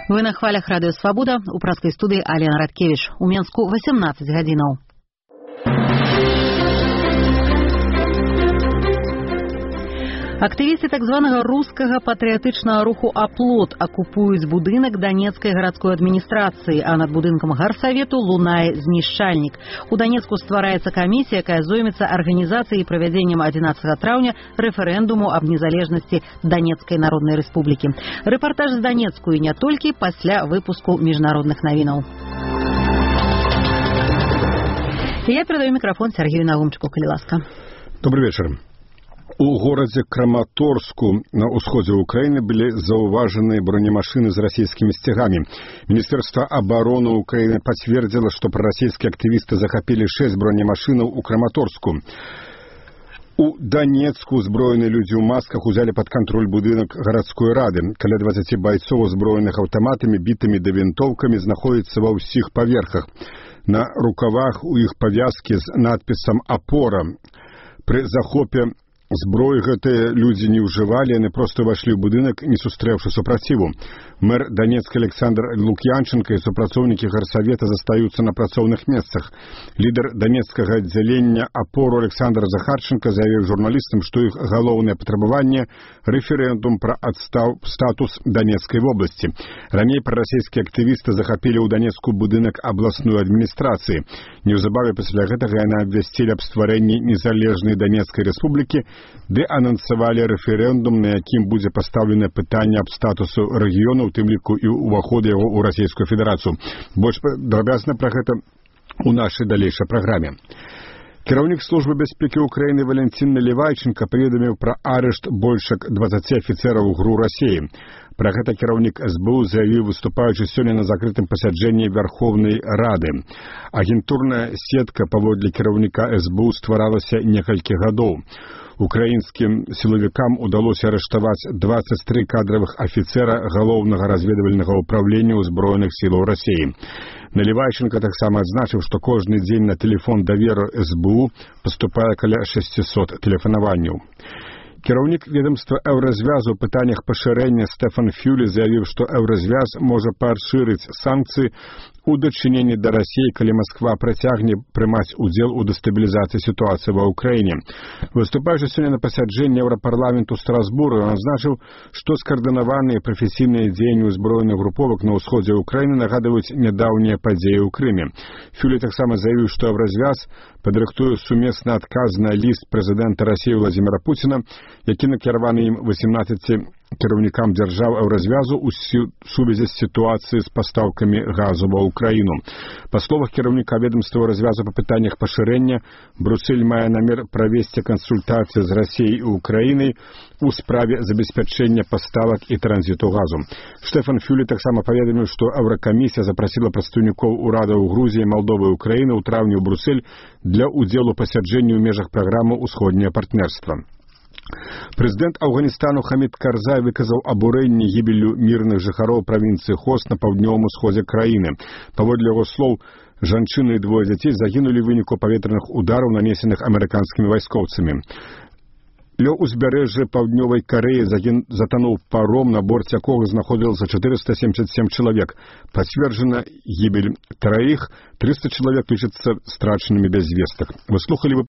Вы на хвалях радыё Свабода, у праскай студыі Алена Радкевіч. У Менску 18 гадзінаў. Актывісты так званага рускага патрыятычнага руху «Аплот» акупуюць будынак Донецкай гарадской адміністрацыі, а над будынкам гарсавету лунае знішчальнік. У Донецку ствараецца камісія, якая зоймецца арганізацыяй і правядзеннем 11 траўня рэферэндуму аб незалежнасці Донецкай Народнай Рэспублікі. Рэпартаж з Донецку і не толькі пасля выпуску міжнародных навінаў. Я перадаю мікрафон Сергею Наумчыку, калі ласка. Добрый вечер. У горадзе Краматорску на ўсходзе Украіны былі заўважаны бронемашыны з расійскімі сцягамі. Міністэрства абароны Украіны пацвердзіла, што прарасійскія актывісты захапілі 6 бронемашынаў у Краматорску. У Донецку узброеныя людзі ў масках узялі пад кантроль будынак гарадской рады. Каля 20 байцоў, узброеных аўтаматамі, бітамі да вінтоўкамі, знаходзяцца ва ўсіх паверхах. На рукавах у іх павязкі з надпісам «Апора». Пры захопе зброі гэтыя людзі не ўжывалі, яны проста ўвайшлі ў будынак, не сустрэўшы супраціву. Мэр Донецка Александр Лук'янченко і супрацоўнікі гарсавета застаюцца на працоўных месцах. Лідар донецкага аддзялення «Апору» Александр Захарченко заявіў журналістам, што іх галоўнае патрабаванне – рэферэндум пра статус Донецкай вобласці. Раней прарасійскія актывісты захапілі ў Донецку будынак абласной адміністрацыі. Неўзабаве пасля гэтага яны абвясцілі аб стварэнні незалежнай Донецкай рэспублікі, ды анансавалі рэферэндум, на якім будзе пастаўлена пытанне аб статусу рэгіёну, у тым ліку і ўваходу яго ў Расійскую Федэрацыю. Больш падрабязна пра гэта у нашай далейшай праграме. Кіраўнік службы бяспекі Украіны Валентин Наливайченко паведаміў пра арышт больш як 20 афіцэраў ГРУ Расіі. Пра гэта кіраўнік СБУ заявіў, выступаючы сёння на закрытым пасяджэнні Верховнай Рады. Агентурная сетка паводле кіраўніка СБУ стваралася некалькі гадоў. Украінскім сілавікам удалося арыштаваць 23 кадравых афіцэра галоўнага разведвальнага ўправлення ўзброеных сілаў Расіі. Наливайченко таксама адзначыў, што кожны дзень на тэлефон даверу СБУ паступае каля 600 тэлефанаванняў. Кіраўнік ведомства Еўразвязу ў пытаннях пашырэння Стэфан Фюле заявіў, што Еўразвяз можа пашырыць санкцыі у дачыненні да Расіі, калі Масква працягне прымаць удзел у дэстабілізацыі сітуацыі ва Ўкраіне. Выступаючы сёння на пасяджэнні Еўрапарламенту Страсбурга, ён адзначыў, што скаардынаваныя прафесійныя дзеянні ўзброеных груповак на ўсходзе Ўкраіны нагадваюць нядаўнія падзеі ў Крыме. Фюле таксама заявіў, што Еўразвяз падрыхтуе сумесны адказ на ліст прэзідэнта Расіі Владзіміра Пуціна, які накіраваны ім 18 кіраўнікам дзяржаў Еўразвязу ў сувязі з сітуацыяй з пастаўкамі газу ва Ўкраіну. Па словах кіраўніка ведамства Еўразвязу па пытаннях пашырэння, Брюссель мае намер правесці кансультацыі з Расіяй і Ўкраінай у справе забеспячэння паставак і транзіту газу. Стэфан Фюле таксама паведаміў, што Еўракамісія запрасіла прадстаўнікоў урадаў Грузіі, Малдовы і Ўкраіны ў траўні ў Брюссель для ўдзелу пасяджэння ў межах праграмы «Усходняе партнерства». Прэзідэнт Афганістану Хамід Карзай выказаў абурэнне гібеллю мірных жыхароў правінцыі Хост на паўднёвым усходзе краіны. Паводле яго слоў, жанчыны і двое дзяцей загінулі ў выніку паветраных удараў, нанесеных амерыканскімі вайскоўцамі. Ля ўзбярэжжа паўднёвай Карэі затануў паром, на борце якога знаходзілася 477 чалавек. Пацверджана гібель 3, 300 чалавек лічацца страчанымі без вестак. Вы слухалі